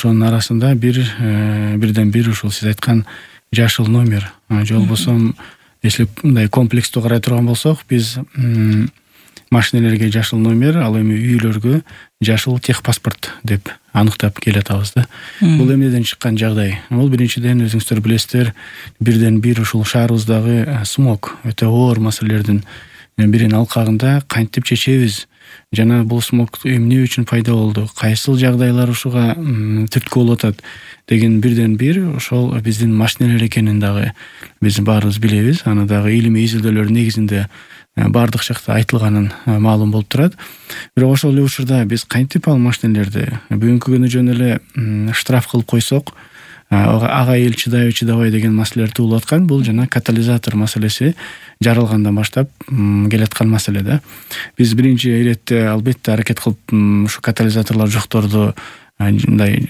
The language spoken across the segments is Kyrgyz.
ошонун арасында бирден бир ушул сиз айткан жашыл номер же болбосо если мындай комплекстүү карай турган болсок, биз машинелерге жашыл номер, ал эми үйлөргө жашыл техпаспорт деп аныктап келатабыз да. Бул эмнеден чыккан жагдай? Бул биринчиден өзүңүздөр билесиздер, бирден бир ушул шаарыбыздагы смог өтө оор маселелердин биринин алкагында кантип чечебиз? Жана бул смог эмне үчүн пайда болду? Кайсыл жагдайлар ушуга түрткү болуп атат деген бирден бир ошол биздин машинелер экенин дагы биз баарыбыз билебиз. Аны дагы илимий изилдөөлөр негизинде бардык жакта айтылганын маалым болуп турат. Бирок ошол эле учурда биз кантип ал машинелерди бүгүнкү күнү жөн эле штраф кылып койсок, ага эл чыдабай деген маселелер туулуп аткан. Бул жана катализатор маселеси жаралгандан баштап келаткан маселе да. Биз биринчи иретте албетте аракет кылып ушу катализаторлор жокторду мындай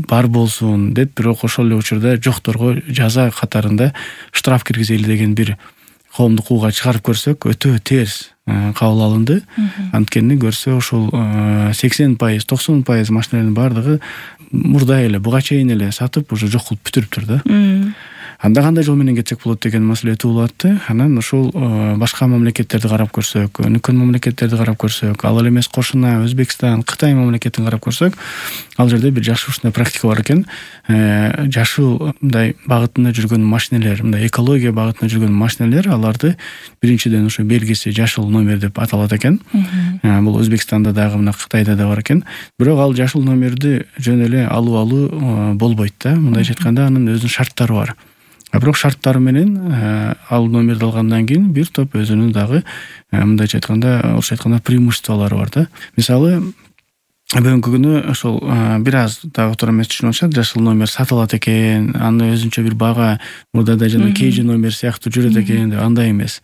бар болсун деп, бирок ошол эле учурда жокторго жаза катарында штраф киргизели деген бир коомдук ууга чыгарып көрсөк, өтө терс кабыл алынды. Анткени көрсө ошол 80%, 90% машинелердин бардыгы мурда эле буга чейин эле сатып уже жок кылып бүтүрүптүр да. Анда кандай жол менен кетсек болот деген маселе туулуп атты. Анан ошол башка мамлекеттерди карап көрсөк, өнүккөн мамлекеттерди карап көрсөк, ал эле эмес кошуна Өзбекстан, Кытай мамлекетин карап көрсөк, ал жерде бир жакшы ушундай практика бар экен. Жашыл мындай багытында жүргөн машинелер, мындай экология багытында жүргөн машинелер, аларды биринчиден ушу белгиси жашыл номер деп аталат экен. Бул Өзбекстанда дагы, мына Кытайда да бар экен. Бирок ал жашыл номерди жөн эле алуу болбойт да. Мындайча айтканда анын өзүнүн шарттары бар. Бирок шарттары менен ал номерди алгандан кийин бир топ өзүнүн дагы мындайча айтканда, орусча айтканда преимуществолору бар да. Мисалы, бүгүнкү күнү ошол бир аз дагы туура эмес түшүнүп атышат, жашыл номер сатылат экен, аны өзүнчө бир бага мурдада жана кейжи номер сыяктуу жүрөт экен деп, андай эмес.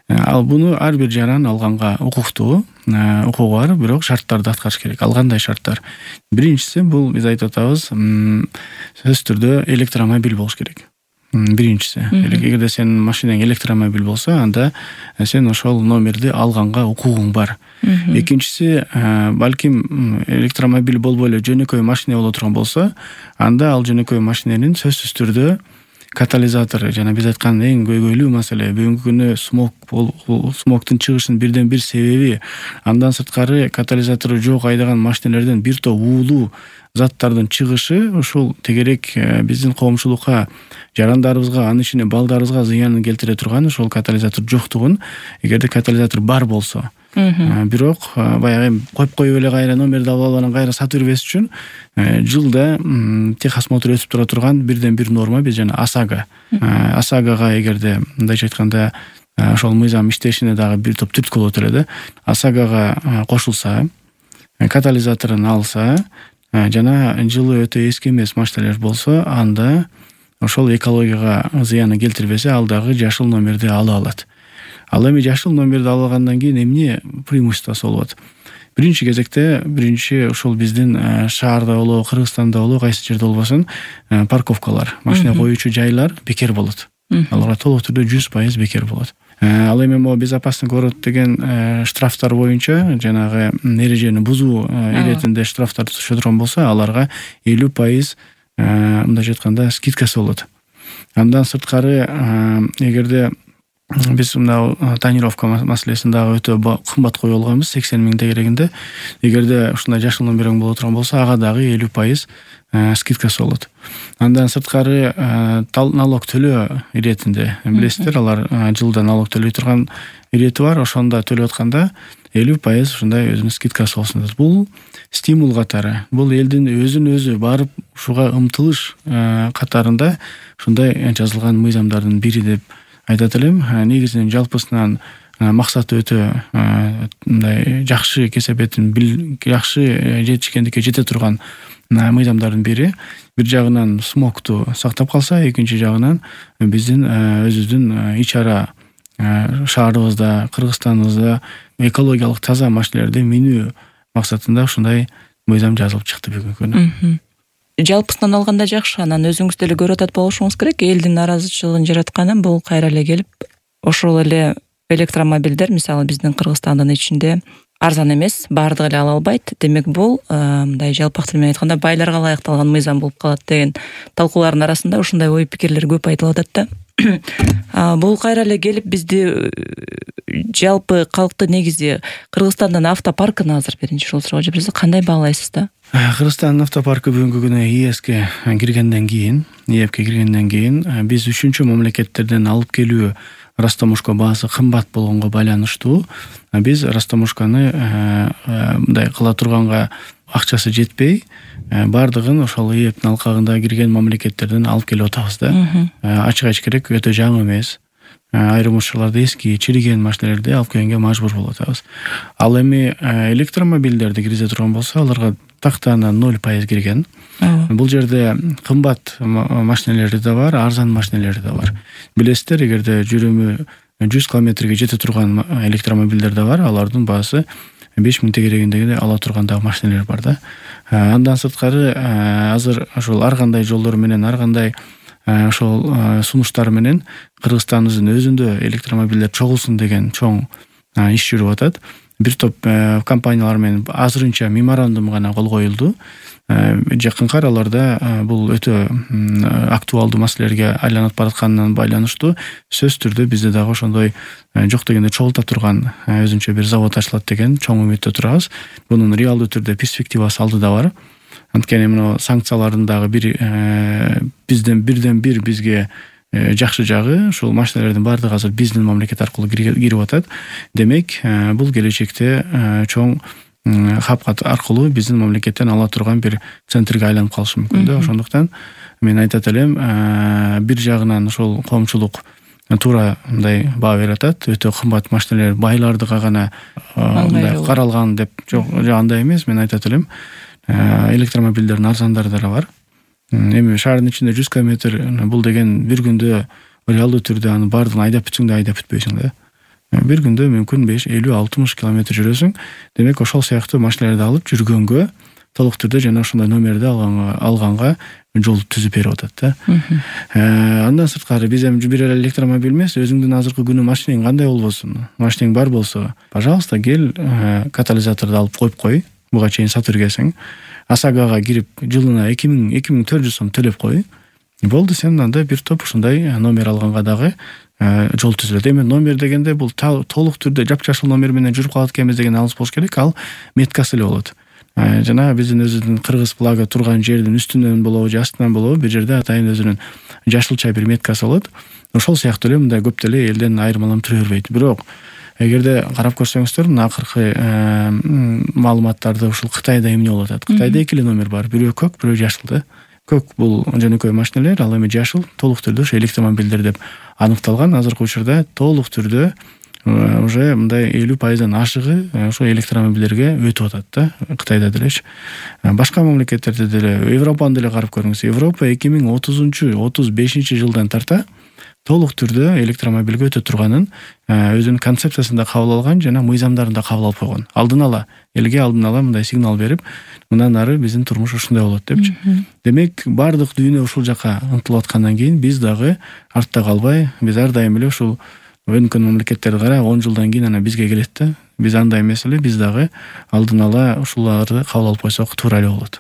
Ал буну ар бир жаран алганга укуктуу, укугу бар, бирок шарттарды аткарыш керек. Ал кандай шарттар? Биринчиси, бул биз айтып атабыз, сөзсүз түрдө электромобиль болуш керек. Биринчиси, эгерде сенин машинең электромобиль болсо, анда сен ошол номерди алганга укугуң бар. Экинчиси, балким электромобиль болбой эле жөнөкөй машина боло турган болсо, анда ал жөнөкөй машиненин сөзсүз түрдө катализатору, жана биз айткан эң көйгөйлүү маселе, бүгүнкү күнү смогтун чыгышынын бирден бир себеби, андан сырткары катализатору жок айдаган машинелерден бир топ уулуу заттардын чыгышы ушул тегерек биздин коомчулукка, жарандарыбызга, анын ичинде балдарыбызга зыянын келтире турган ушул катализатор жоктугун, эгерде катализатор бар болсо. Бирок баягы коюп эле кайра номерди алып анан кайра сатып бербес үчүн жылда техосмотр өтүп тура турган бирден бир норма биз жана ОСАГОга эгерде мындайча айтканда ошол мыйзам иштешине дагы бир топ түрткү болот эле да. ОСАГОга кошулса, катализаторун алса, жана жылы өтө эски эмес машинелер болсо, анда ошол экологияга зыянын келтирбесе, ал дагы жашыл номерди ала алат. Ал эми жашыл номерди алгандан кийин эмне преимуществосу болот? Биринчи кезекте, ушул биздин шаарда болобу, Кыргызстанда болобу, кайсы жерде болбосун, парковкалар, машина коюучу жайлар бекер болот. Алар толук түрдө 100% бекер болот. Ал эми могу безопасный город деген штрафтар боюнча, жанагы эрежени бузуу иретинде штрафтар түшө турган болсо, аларга 50% мындайча айтканда скидкасы болот. Андан сырткары, эгерде биз мына тонировка маселесин дагы өтө кымбат коюп алганбыз, 80 000 тегерегинде. Эгерде ушундай жашыл номериң боло турган болсо, ага дагы 50% скидкасы болот. Андан сырткары налог төлөө иретинде, билесиздер, алар жылда налог төлөй турган ирети бар, ошондо төлөп атканда 50% ушундай өзүнүн скидкасы болсун. Бул стимул катары, бул элдин өзүн-өзү барып ушуга умтылыш катарында ушундай жазылган мыйзамдардын бири деп айтат элем. Негизинен жалпысынан максаты өтө мындай жакшы кесепетин жакшы жетишкендикке жете турган мыйзамдардын бири. Бир жагынан смогту сактап калса, экинчи жагынан биздин өзүбүздүн ич-ара шаарыбызда, Кыргызстаныбызда экологиялык таза машинелерди минүү максатында ушундай мыйзам жазылып чыкты бүгүнкү күнү. Жалпысынан алганда жакшы, анан өзүңүз деле көрүп атат болушуңуз керек. Элдин наразычылыгын жаратканы бул кайра эле келип, ошол эле электромобилдер, мисалы биздин Кыргызстандын ичинде арзан эмес, баардыгы эле ала албайт. Демек бул мындай жалпак тил менен айтканда байларга ылайыкталган мыйзам болуп калат деген талкуулардын арасында ушундай ой пикирлер көп айтылып атат да. Бул кайра эле келип бизди жалпы калкты негизи Кыргызстандын автопаркына азыр биринчи ушул суроо жиберсе кандай баалайсыз да? Кыргызстандын автопаркы бүгүнкү күнү ИЭСке киргенден кийин, ИЭПке киргенден кийин биз үчүнчү мамлекеттерден алып келүү растамушка баасы кымбат болгонго байланыштуу биз растамушканы мындай кыла турганга акчасы жетпей баардыгын ошол ИЭПтин алкагында кирген мамлекеттерден алып келип атабыз да. Ачык айтыш керек, өтө жаңы эмес. Айрым учурларда эски чириген машиналерди алып келгенге мажбур болуп атабыз. Ал эми электромобилдерди киргизе турган болсо, аларга тактана 0% кирген. Бул жерде кымбат машиналери да бар, арзан машиналери да бар. Билесиздер, эгерде жүрүмү 100 километрге жете турган электромобилдер да бар, алардын баасы 5000 тегерегиндеги ала турган дагы машиналер бар да. Андан сырткары азыр ошол ар кандай жолдор менен, ар кандай ошол сунуштар менен Кыргызстандын өзүндө электромобилдер чогулсун деген чоң иш жүрүп атат. Бир топ компаниялар менен азырынча меморандум гана кол коюлду. Жакынкы араларда бул өтө актуалдуу маселелерге айланып баратканынан байланыштуу сөзсүз түрдө бизде дагы ошондой жок дегенде чогулта турган өзүнчө бир завод ачылат деген чоң үмүттө турабыз. Бунун реалдуу түрдө перспективасы алдыда бар. Анткени мына санкциялардын дагы бизден бир бизге жакшы жагы ушул машиналердин баардыгы азыр биздин мамлекет аркылуу кирип атат. Демек, бул келечекте чоң хапкат аркылуу биздин мамлекеттен ала турган бир центрге айланып калышы мүмкүн да. Ошондуктан мен айтат элем, бир жагынан ошол коомчулук туура мындай баа берип атат. Өтө кымбат машиналер байлардыга гана мындай каралган деп жок, андай эмес. Мен айтат элем, электромобилдердин арзандары да бар. Эми шаардын ичинде 100 километр бул деген бир күндө реалдуу түрдө аны баардыгын айдап бүтсөң да айдап бүтпөйсүң да. Бир күндө мүмкүн 50-60 километр жүрөсүң. Демек, ошол сыяктуу машиналерди алып жүргөнгө толук түрдө жана ошондой номерди алганга жол түзүп берип атат да. Андан сырткары биз эми бир эле электромобиль эмес, өзүңдүн азыркы күнү машинең кандай болбосун, машинең бар болсо, пожалуйста, кел катализаторду алып коюп кой, буга чейин сатып жүргөнсүң. ОСАГОга кирип жылына 2400 сом төлөп кой. Болду, сен анда бир топ ушундай номер алганга дагы жол түзүлөт. Эми номер дегенде бул толук түрдө жапжашыл номер менен жүрүп калат экенбиз деген алыс болуш керек. Ал меткасы эле болот. Жана биздин өзүнүн Кыргыз флагы турган жердин үстүнөн болобу же астынан болобу, бир жерде атайын өзүнүн жашылча бир меткасы болот. Ошол сыяктуу эле мындай көп деле элден айырмаланып жүрө бербейт. Бирок эгерде карап көрсөңүздөр, мына акыркы маалыматтарды ушул Кытайда эмне болуп атат? Кытайда эки эле номер бар. Бирөө көк, бирөө жашыл да. Көк бул жөнөкөй машиналер, ал эми жашыл толук түрдө ошо электромобилдер деп аныкталган. Азыркы учурда толук түрдө уже мындай 50%-дан ашыгы ошо электромобилдерге өтүп атат да, Кытайда делечи. Башка мамлекеттерде деле, Европаны деле карап көрүңүз. Европа 2030-35 жылдан тарта толук түрдө электромобилге өтө турганын өзүнүн концепциясында кабыл алган жана мыйзамдарында кабыл алып койгон. Алдын ала мындай сигнал берип, мындан ары биздин турмуш ушундай болот депчи. Демек, бардык дүйнө ушул жака ынтылып аткандан кийин биз дагы артта калбай, биз ар дайым эле ушул өнүккөн мамлекеттерди кара 10 жылдан кийин ана бизге келет да. Биз андай эмес эле, биз дагы алдын ала ушуларды кабыл алып койсок туура эле болот.